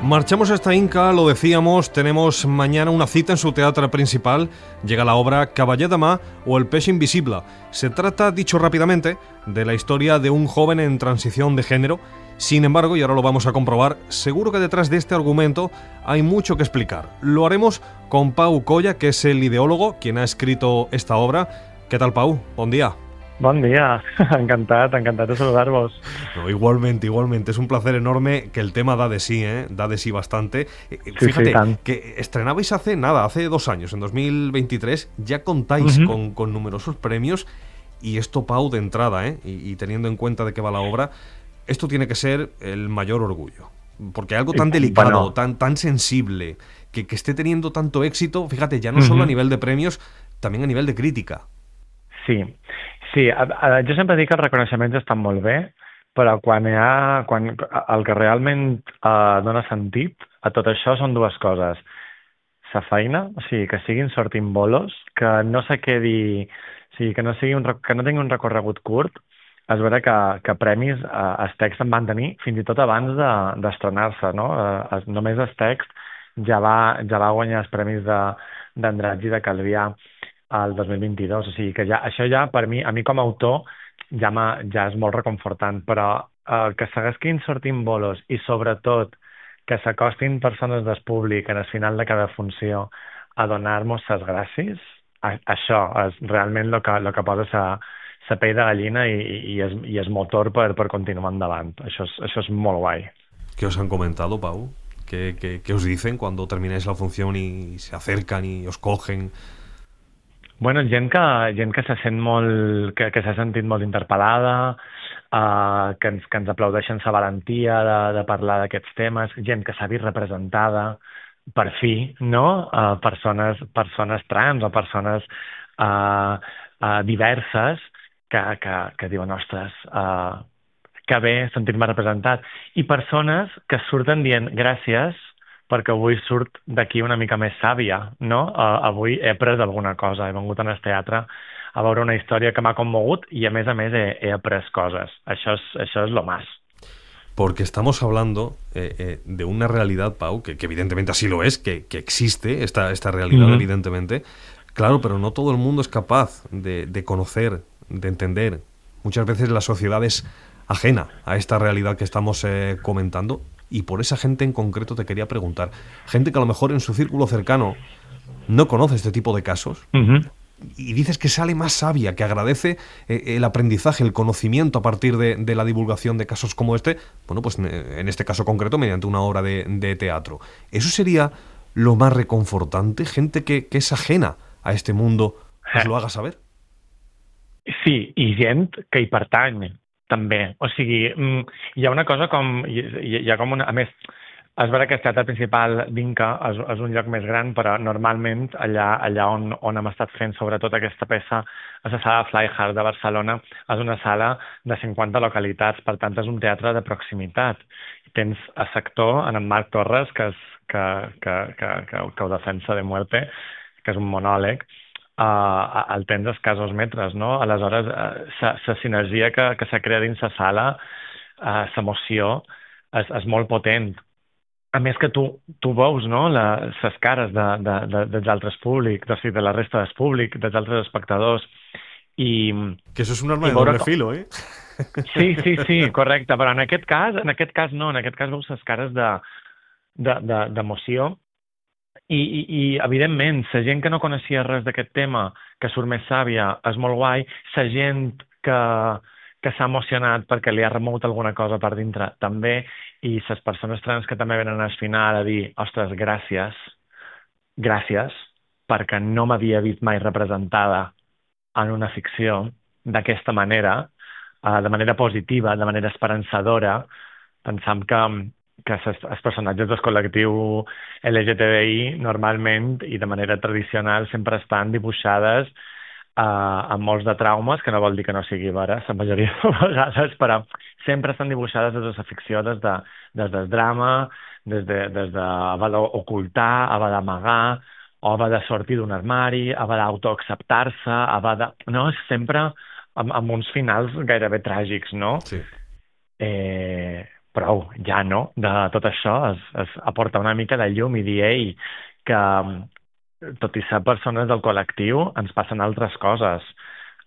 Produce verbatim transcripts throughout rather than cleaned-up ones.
Marchamos hasta Inca, lo decíamos, tenemos mañana una cita en su teatro principal. Llega la obra Cavaller de Mar o El peix invisible. Se trata, dicho rápidamente, de la historia de un joven en transición de género. Sin embargo, y ahora lo vamos a comprobar, seguro que detrás de este argumento hay mucho que explicar. Lo haremos con Pau Colla, que es el ideólogo, quien ha escrito esta obra. ¿Qué tal, Pau? Bon dia. Bon dia, encantat, encantat de saludar-vos. No, igualmente, igualmente. Es un placer enorme que el tema da de sí, ¿eh? Da de sí bastante. Eh, Sí, Fíjate, sí, tant. que estrenabais hace nada, hace dos años, en dos mil veintitrés, ya contáis Ujú. con, con numerosos premios y esto, Pau, de entrada, ¿eh? Y, y teniendo en cuenta de qué va la obra, esto tiene que ser el mayor orgullo. Porque algo tan Eh, delicado, bueno. tan, tan sensible, que, que esté teniendo tanto éxito, fíjate, ya no Ujú. solo a nivel de premios, también a nivel de crítica. Sí, sí, a, a, jo sempre dic que els reconeixements estan molt bé, però quan hi ha, quan, el que realment eh, dona sentit a tot això són dues coses. Sa feina, o sigui, que siguin sortint bolos, que no se quedi, o sigui, que no, sigui un, rec- que no tingui un recorregut curt. És vera que, que premis eh, els texts en van tenir fins i tot abans de, d'estrenar-se, no? Eh, es, només el text ja va, ja va guanyar els premis de, d'Andratx i de Calvià al dos mil vint-i-dos, o sigui que ja, això ja per mi, a mi com a autor, ja, m'ha- ja és molt reconfortant, però eh, que segueixin sortint bolos i sobretot que s'acostin persones del públic en el final de cada funció a donar-nos les gràcies, a, això és realment el que, lo que posa sa, sa pell de gallina i, i, és, i és motor per, per continuar endavant. Això és, això és molt guai. ¿Qué os han comentado, Pau? ¿Qué, qué, qué os dicen cuando termináis la función y se acercan y os cogen? Bueno, gent que, gent que se sent molt, que, que s'ha sentit molt interpel·lada, uh, que, ens, que ens aplaudeixen sa valentia de, de parlar d'aquests temes, gent que s'ha vist representada, per fi, no? Uh, persones, persones trans o persones uh, uh, diverses que, que, que diuen, ostres, uh, que bé sentir-me representat. I persones que surten dient gràcies perquè avui surt d'aquí una mica més sàvia, no? Uh, avui he après alguna cosa, he vengut al teatre a veure una història que m'ha commogut i a més a més he, he après coses. Això és, això és lo más. Porque estamos hablando eh, eh, de una realidad, Pau, que, que evidentemente así lo es, que, que existe esta, esta realidad, Ujú. evidentemente. Claro, pero no todo el mundo es capaz de, de conocer, de entender. Muchas veces la sociedad es ajena a esta realidad que estamos eh, comentando. Y por esa gente en concreto te quería preguntar. Gente que a lo mejor en su círculo cercano no conoce este tipo de casos. Ujú. Y dices que sale más sabia, que agradece eh, el aprendizaje, el conocimiento a partir de, de la divulgación de casos como este, bueno, pues en este caso concreto mediante una obra de, de teatro. ¿Eso sería lo más reconfortante? Gente que, que es ajena a este mundo, os lo haga saber. Sí, i gent que hi pertany, també. O sigui, mm, hi ha una cosa com... Hi, hi hi ha com una... A més, és vera que el teatre principal d'Inca és, és un lloc més gran, però normalment allà, allà on, on hem estat fent sobretot aquesta peça, a la sala Fly Hard de Barcelona, és una sala de cinquanta localitats, per tant és un teatre de proximitat. Tens a sector, en en Marc Torres, que, és, que, que, que, que, que ho defensa de muerte, que és un monòleg, uh, el tens a escassos metres, no? Aleshores, la uh, sinergia que, que s'ha creat dins la sala, uh, l'emoció, és, és molt potent. A més que tu, tu veus, no?, les cares de, de, de, dels altres públics, o sigui, de la resta del públic, dels altres espectadors, i... Que eso es un arma i de veure doble com- filo, ¿eh? Sí, sí, sí, correcte, però en aquest cas, en aquest cas no, en aquest cas veus les cares de, de, de, d'emoció i, i, i, evidentment, la gent que no coneixia res d'aquest tema, que surt més sàvia, és molt guai, la gent que, que s'ha emocionat perquè li ha remogut alguna cosa per dintre, també, i les persones trans que també venen al final a dir, ostres, gràcies, gràcies, perquè no m'havia vist mai representada en una ficció d'aquesta manera, uh, de manera positiva, de manera esperançadora, pensam que, que ses, els personatges del col·lectiu L G T B I normalment i de manera tradicional sempre estan dibuixades uh, amb molts de traumes, que no vol dir que no sigui vera, la majoria de vegades, però sempre estan dibuixades des de la ficció, des, de, des del drama, des de, des de haver d'ocultar, haver d'amagar, o haver de sortir d'un armari, haver d'autoacceptar-se, haver de... No, és sempre amb, amb uns finals gairebé tràgics, no? Sí. Eh, prou, ja no, de tot això, es, es aporta una mica de llum i dir, ei, que tot i ser persones del col·lectiu, ens passen altres coses.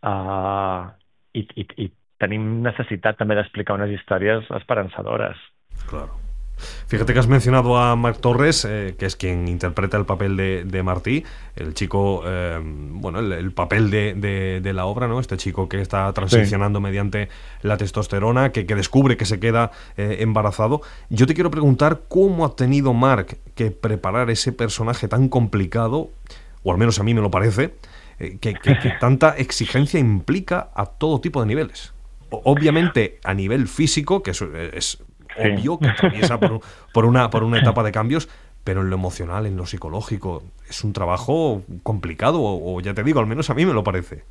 Uh, i, i, I tenim necessitat també d'explicar unes històries esperançadores. Claro. Fíjate que has mencionado a Marc Torres, eh, que es quien interpreta el papel de, de Martí, el chico, eh, bueno, el, el papel de, de, de la obra, ¿no? Este chico que está transicionando sí. mediante la testosterona, que, que descubre que se queda eh, embarazado. Yo te quiero preguntar cómo ha tenido Marc que preparar ese personaje tan complicado, o al menos a mí me lo parece, eh, que, que, que tanta exigencia implica a todo tipo de niveles. O, obviamente a nivel físico, que es, es Sí. obvio que atraviesa por, por, una, por una etapa de cambios, pero en lo emocional, en lo psicológico, es un trabajo complicado, o, o ya te digo, al menos a mí me lo parece.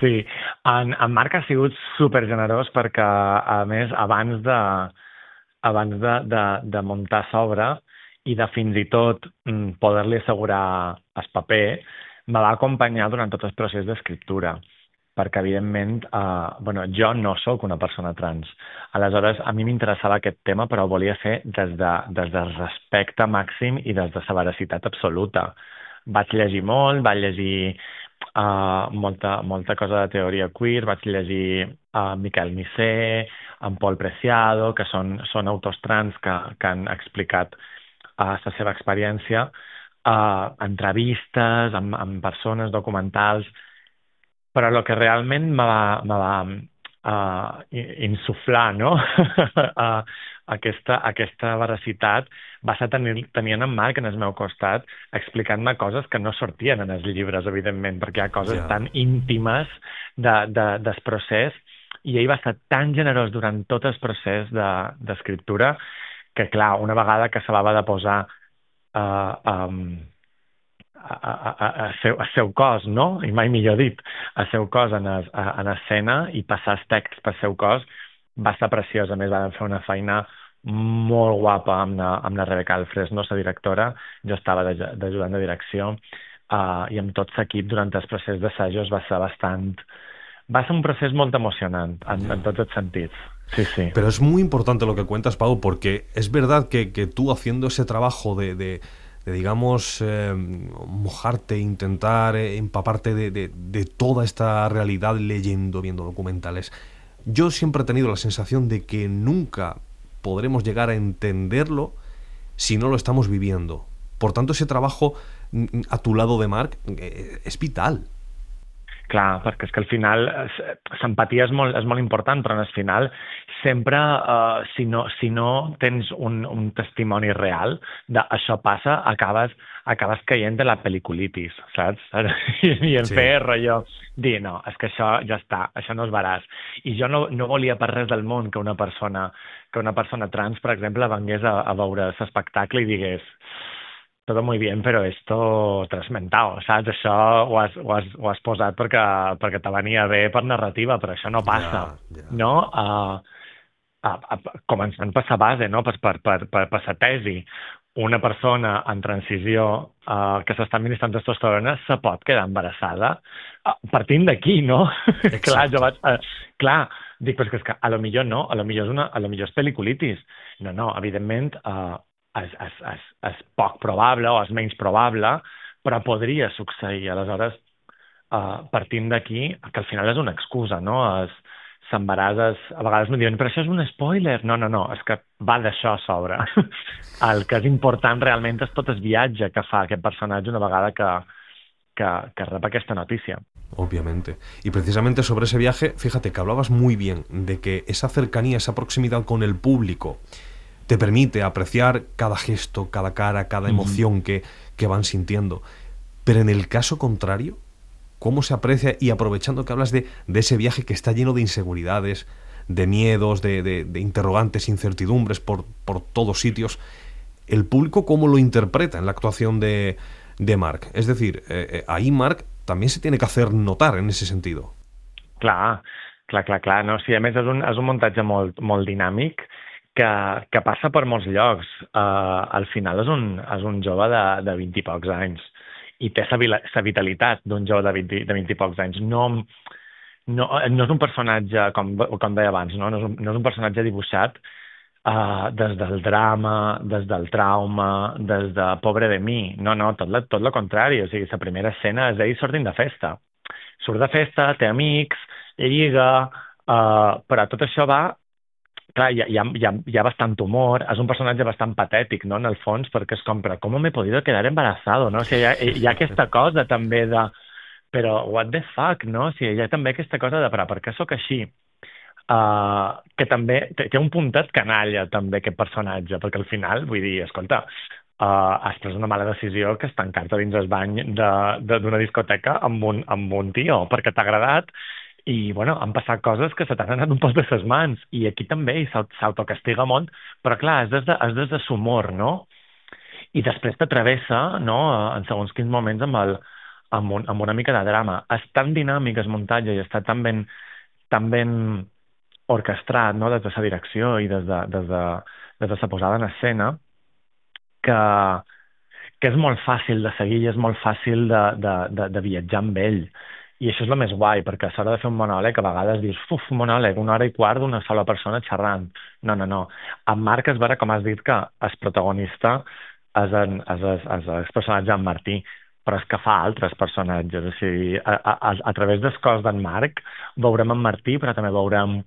Sí, en, en Marc ha sigut super generós perquè, a més, abans de, abans de, de, de muntar l'obra i de fins i tot mm, poder-li assegurar el paper, me va acompanyar durant tot el procés d'escriptura, perquè, evidentment, eh, bueno, jo no sóc una persona trans. Aleshores, a mi m'interessava aquest tema, però ho volia fer des, de, des del respecte màxim i des de la veracitat absoluta. Vaig llegir molt, vaig llegir uh, molta, molta cosa de teoria queer, vaig llegir uh, Miquel Missé, en Paul Preciado, que són, són autors trans que, que han explicat uh, la seva experiència, uh, entrevistes amb, amb persones, documentals, però el que realment me va, me va uh, insuflar, no? uh, aquesta, aquesta veracitat va ser tenir, tenint en Marc en el meu costat explicant-me coses que no sortien en els llibres, evidentment, perquè hi ha coses yeah. tan íntimes de, de, del procés, i ell va ser tan generós durant tot el procés d'escriptura de, que, clar, una vegada que se la va de posar uh, um, a, a, a, a, seu, a seu cos, no? I mai millor dit, a seu cos en, es, a, en escena i passar els texts per seu cos, va ser preciós. A més, van fer una feina molt guapa amb la, amb la Rebeca Alfresno, la directora. Jo estava d'ajudant de direcció uh, i amb tot l'equip durant el procés d'assajos va ser bastant... Va ser un procés molt emocionant en, en tots els sentits. Sí, sí. Pero es muy importante lo que cuentas, Pau, porque es verdad que, que tú haciendo ese trabajo de... de... de, digamos, eh, mojarte, intentar eh, empaparte de, de, de toda esta realidad leyendo, viendo documentales. Yo siempre he tenido la sensación de que nunca podremos llegar a entenderlo si no lo estamos viviendo. Por tanto, ese trabajo a tu lado de Marc eh, es vital. Clar, perquè és que al final l'empatia és, molt, és molt important, però al final sempre, uh, si, no, si no tens un, un testimoni real de això passa, acabes, acabes caient de la pel·liculitis, saps? I, i en sí. fer rotllo, dir, no, és que això ja està, això no és veràs. I jo no, no volia per res del món que una persona, que una persona trans, per exemple, vengués a, a veure l'espectacle i digués todo muy bien, però esto t'has mentado, saps? Això ho has, ho has, ho has posat perquè, perquè te venia bé per narrativa, però això no passa, yeah, yeah. no? Uh, uh, uh, començant per la base, no? Per, per, per, per, per la tesi. Una persona en transició uh, que s'està administrant testosterona se pot quedar embarassada uh, partint d'aquí, no? clar, jo vaig... Uh, clar, dic, però és que a lo millor no, a lo millor és, una, a lo millor és pel·liculitis. No, no, evidentment... Uh, És, és, és, és poc probable o és menys probable, però podria succeir. Aleshores, uh, partint d'aquí, que al final és una excusa, no? S'embarasses, a vegades m'ho diuen, però això és un spoiler. No, no, no, és que va d'això a sobre. El que és important realment és tot el viatge que fa aquest personatge una vegada que, que, que rep aquesta notícia. Obviamente. Y precisamente sobre ese viaje, fíjate que hablabas muy bien de que esa cercanía, esa proximidad con el público te permite apreciar cada gesto, cada cara, cada emoción mm. que, que van sintiendo. Pero en el caso contrario, ¿cómo se aprecia? Y aprovechando que hablas de, de ese viaje que está lleno de inseguridades, de miedos, de, de, de interrogantes, incertidumbres por, por todos sitios, ¿el público cómo lo interpreta en la actuación de, de Marc? Es decir, eh, eh, ahí Marc también se tiene que hacer notar en ese sentido. Clar, clar, clar, clar. No? Sí, a més és un, és un muntatge molt, molt dinàmic, que, que passa per molts llocs. Uh, al final és un, és un jove de, de vint i pocs anys i té la vitalitat d'un jove de vint, de vint i pocs anys. No, no, no és un personatge, com, com deia abans, no? No, és un, no és un personatge dibuixat uh, des del drama, des del trauma, des de pobre de mi. No, no, tot, la, tot el contrari. O sigui, la primera escena és ell sortint de festa. Surt de festa, té amics, lliga, uh, però tot això va... Clar, hi ha, hi, ha, hi, ha, hi ha bastant humor, és un personatge bastant patètic, no?, en el fons, perquè és com, però com m'he podido quedar embarazado, no? O sigui, hi ha, hi ha aquesta cosa també de... Però, what the fuck, no? O sigui, hi ha també aquesta cosa de, però per què sóc així? Uh, que també té, té un puntet canalla, també, aquest personatge, perquè al final, vull dir, escolta, uh, has pres una mala decisió que és tancar-te dins el bany d'una de, de, discoteca amb un, amb un tio, perquè t'ha agradat, i, bueno, han passat coses que se t'han anat un poc de ses mans, i aquí també s'autocastiga molt, però clar, és des de, és des de l'humor, no? I després t'atravessa, no?, en segons quins moments amb, el, amb, un, amb una mica de drama. És tan dinàmic el muntatge i està tan ben, tan ben orquestrat, no?, des de la direcció i des de, des de, des de la posada en escena, que, que és molt fàcil de seguir i és molt fàcil de, de, de, de viatjar amb ell. I això és el més guai, perquè a l'hora de fer un monòleg a vegades dius, uf, monòleg, una hora i quart d'una sola persona xerrant. No, no, no. En Marc es veure, com has dit, que el protagonista és, en, és, és, és el personatge en Martí, però és que fa altres personatges. O sigui, a, a, a través del cos d'en Marc veurem en Martí, però també veurem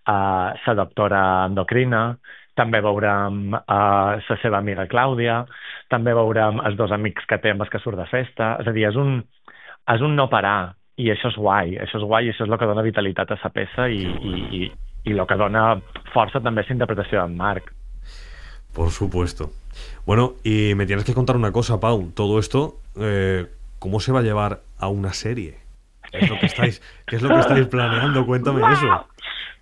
la uh, doctora endocrina, també veurem uh, la seva amiga Clàudia, també veurem els dos amics que té amb els que surt de festa. És a dir, és un, és un no parar. I això és guai, això és guai i això és el que dona vitalitat a la peça i, i, i, y lo que dona força també és la interpretació d'en Marc. Por supuesto. Bueno, y me tienes que contar una cosa, Pau. Todo esto, eh, ¿cómo se va a llevar a una serie? ¿Qué es lo que estáis, qué es lo que estáis planeando? Cuéntame eso.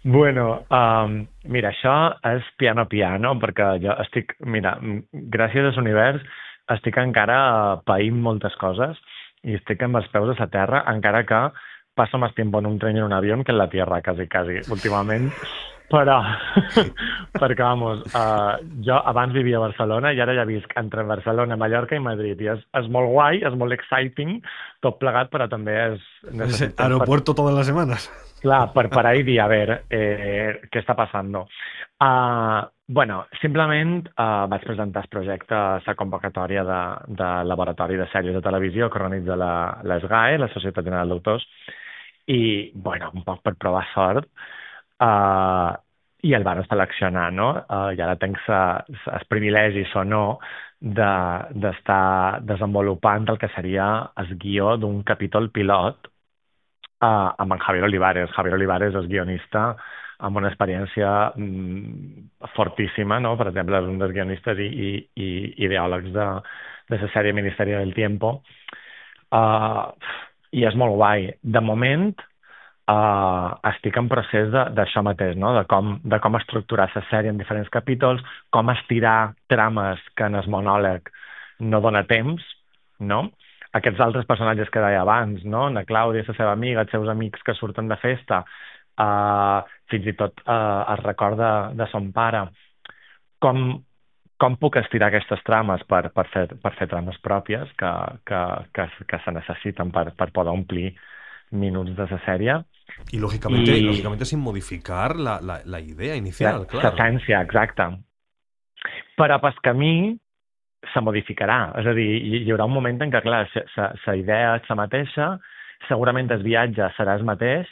Bueno, um, mira, això és piano piano, perquè jo estic, mira, gràcies a l'univers estic encara païnt moltes coses i estic amb els peus a la terra, encara que passo més temps en un tren i en un avió que en la tierra, quasi, quasi, últimament. Però, perquè, vamos, uh, jo abans vivia a Barcelona i ara ja visc entre Barcelona, Mallorca i Madrid. I és, és molt guai, és molt exciting, tot plegat, però també és... Ese aeropuerto per... todas las semanas. Clar, per parar i dir, a veure, eh, què està passant? Uh, bueno, simplement uh, vaig presentar el projecte a la convocatòria de, de laboratori de sèries de televisió que organitza la, la S G A E, la Societat General d'Autors, i, bueno, un poc per provar sort, uh, i el van seleccionar, no? Uh, I ara tenc els privilegis o no d'estar de, desenvolupant el que seria el guió d'un capítol pilot uh, amb en Javier Olivares. Javier Olivares és guionista amb una experiència mm, fortíssima, no? Per exemple, és un dels guionistes i, i, i ideòlegs de, de la sèrie Ministerio del Tiempo. Uh, I és molt guai. De moment, uh, estic en procés d'això mateix, no? De com, de com estructurar la sèrie en diferents capítols, com estirar trames que en el monòleg no dona temps, no? Aquests altres personatges que deia abans, no? La Clàudia, la seva amiga, els seus amics que surten de festa, Uh, fins i tot uh, es recorda de son pare. Com, com puc estirar aquestes trames per, per, fer, per fer trames pròpies que, que, que, que se necessiten per, per poder omplir minuts de la sèrie? Y lógicamente, y... lógicamente sin modificar la, la, la idea inicial, la, claro. L'essència, exacte. Però pel camí se modificarà. És a dir, hi, hi haurà un moment en què, clar, la idea és la mateixa, segurament el viatge serà el mateix,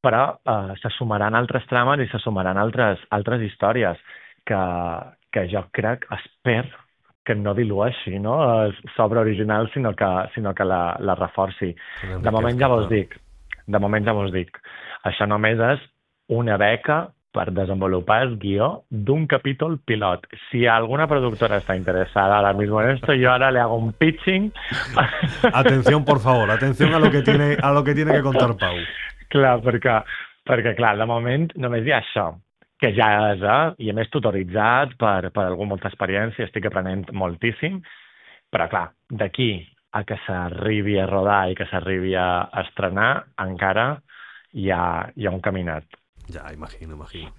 però eh, se sumaran altres trames i se sumaran altres, altres històries que, que jo crec, espero que no dilueixi, no? L'obra original, sinó que, sinó que la, la reforci. De moment ja vos dic, de moment ja vos dic, això només és una beca per desenvolupar el guió d'un capítol pilot. Si alguna productora està interessada ahora mismo en esto, yo ahora le hago un pitching. Atención, por favor, atención a lo que tiene, a lo que tiene que contar Pau. Clar, perquè, perquè, clar, de moment només hi ha això, que ja és, eh? I a més tutoritzat per, per algú amb molta experiència, estic aprenent moltíssim, però, clar, d'aquí a que s'arribi a rodar i que s'arribi a estrenar, encara hi ha, hi ha un caminat. Ya, imagino, imagino.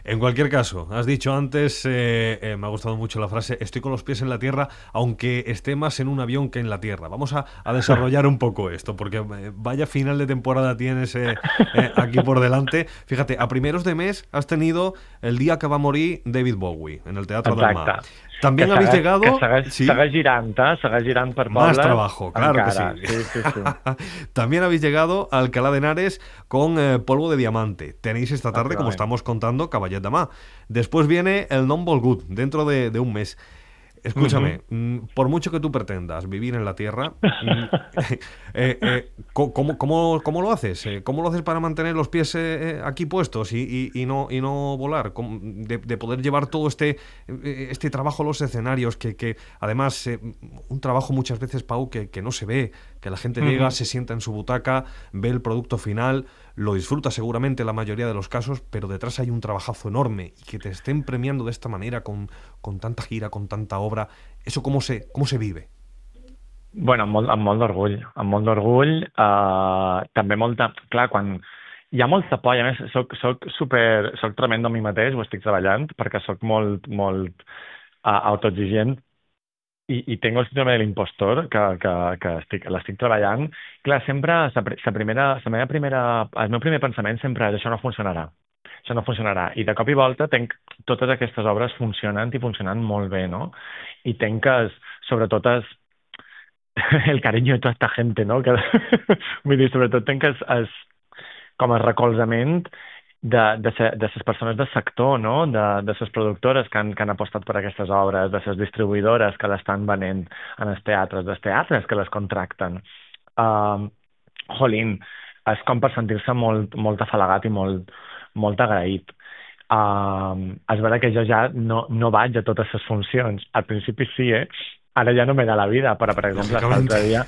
En cualquier caso, has dicho antes, eh, eh, me ha gustado mucho la frase, estoy con los pies en la tierra, aunque esté más en un avión que en la tierra. Vamos a, a desarrollar un poco esto, porque eh, vaya final de temporada tienes eh, eh, aquí por delante. Fíjate, a primeros de mes has tenido el día que va a morir David Bowie, en el Teatro del Mar. También que habéis segueix, llegado... Que segueix, ¿sí? segueix girant, eh? Segueix girant per Más pobles. trabajo, claro encara. que sí. Sí, sí, sí. También habéis llegado a Alcalá de Henares con eh, Polvo de Diamante. Tenéis esta tarde, como estamos contando, Caballet Demà. Después viene el Non Volgut, dentro de, de un mes. Escúchame, uh-huh. por mucho que tú pretendas vivir en la Tierra, eh, eh, ¿cómo, cómo, ¿cómo lo haces? ¿Cómo lo haces para mantener los pies eh, aquí puestos y, y, y, no, y no volar? De, de poder llevar todo este, este trabajo a los escenarios, que, que además, eh, un trabajo muchas veces, Pau, que, que no se ve, que la gente uh-huh. llega, se sienta en su butaca, ve el producto final, lo disfruta seguramente en la mayoría de los casos, pero detrás hay un trabajazo enorme, y que te estén premiando de esta manera, con, con tanta gira, con tanta obra, ¿eso cómo se, cómo se vive? Bueno, amb molt, amb molt d'orgull, amb molt d'orgull, uh, també molta... Clar, quan hi ha molta por, i a més soc, soc super... soc tremendo a mi mateix, ho estic treballant, perquè soc molt, molt uh, autoexigent, i, i tengo el síndrome de l'impostor, que, que, que estic, l'estic treballant. Clar, sempre, sa, sa primera, sa meva primera, el meu primer pensament sempre és això no funcionarà. Això no funcionarà. I de cop i volta tenc totes aquestes obres funcionant i funcionant molt bé, no? I tenc que, sobretot, es, el cariño de tota esta gente, no? Que, vull dir, sobretot tenc es, es, com a recolzament de, de, de, de les persones del sector, no? De, de les productores que han, que han apostat per aquestes obres, de les distribuïdores que l'estan venent en els teatres, dels teatres que les contracten. Uh, jolín, és com per sentir-se molt, molt afalagat i molt, molt agraït. Uh, és vera que jo ja no, no vaig a totes les funcions. Al principi sí, eh? Ara ja no me da la vida, però, per exemple, l'altre dia,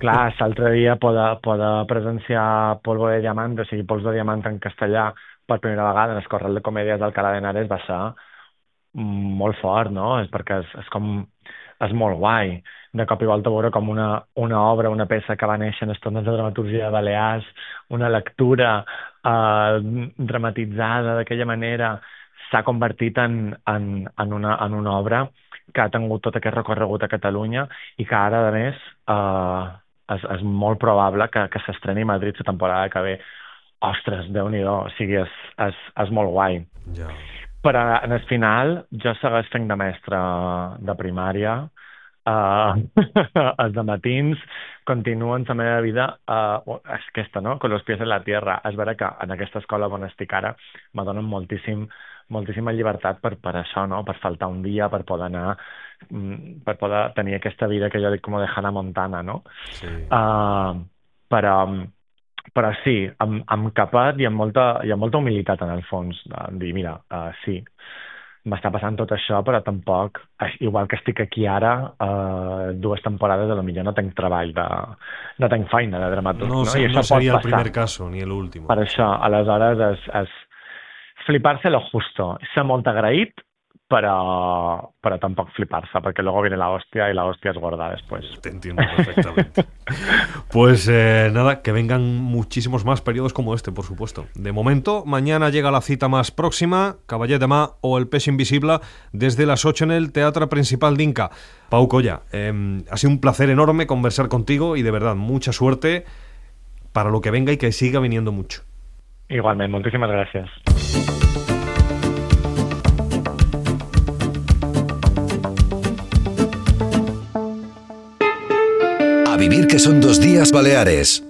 clar, l'altre dia poder, poder presenciar Polvo de Diamant, o sigui, Pols de Diamant en castellà, per primera vegada en el Corral de Comèdies d'Alcalá de Henares va ser molt fort, no? És perquè és, és com... és molt guai. De cop i volta veure com una, una obra, una peça que va néixer en estones de dramaturgia de Balears, una lectura eh, dramatitzada d'aquella manera, s'ha convertit en, en, en, una, en una obra que ha tingut tot aquest recorregut a Catalunya i que ara, a més, eh, és, és molt probable que, que s'estreni a Madrid la temporada que ve. Ostres, Déu-n'hi-do, o sigui, és, és, és molt guai. Ja. Però en el final jo segueix fent de mestre de primària, uh, els dematins continuen la meva vida, uh, és aquesta, no?, con los pies en la tierra. És vera que en aquesta escola on estic ara me donen moltíssim, moltíssima llibertat per, per això, no?, per faltar un dia, per poder anar, per poder tenir aquesta vida que jo dic com de Hannah Montana, no? Sí. Uh, però... Però sí, amb, amb capat i amb molta, i amb molta humilitat, en el fons, de dir, mira, uh, sí, m'està passant tot això, però tampoc, igual que estic aquí ara, uh, dues temporades, a lo millor no tenc treball, de, no tenc feina de dramaturg. No, No, sé, I això no seria pot el primer caso, ni el último. Per això, aleshores, és, és flipar-se lo justo. Ser molt agraït, pero, pero tampoco fliparse, porque luego viene la hostia y la hostia es gorda después. Te entiendo perfectamente. Pues eh, nada, que vengan muchísimos más periodos como este, por supuesto. De momento, mañana llega la cita más próxima, Caballet Demà o El Peix Invisible, desde las ocho en el Teatro Principal d'Inca. Pau Colla, eh, ha sido un placer enorme conversar contigo y de verdad, mucha suerte para lo que venga y que siga viniendo mucho. Igualmente, muchísimas gracias. A vivir que son dos días Baleares.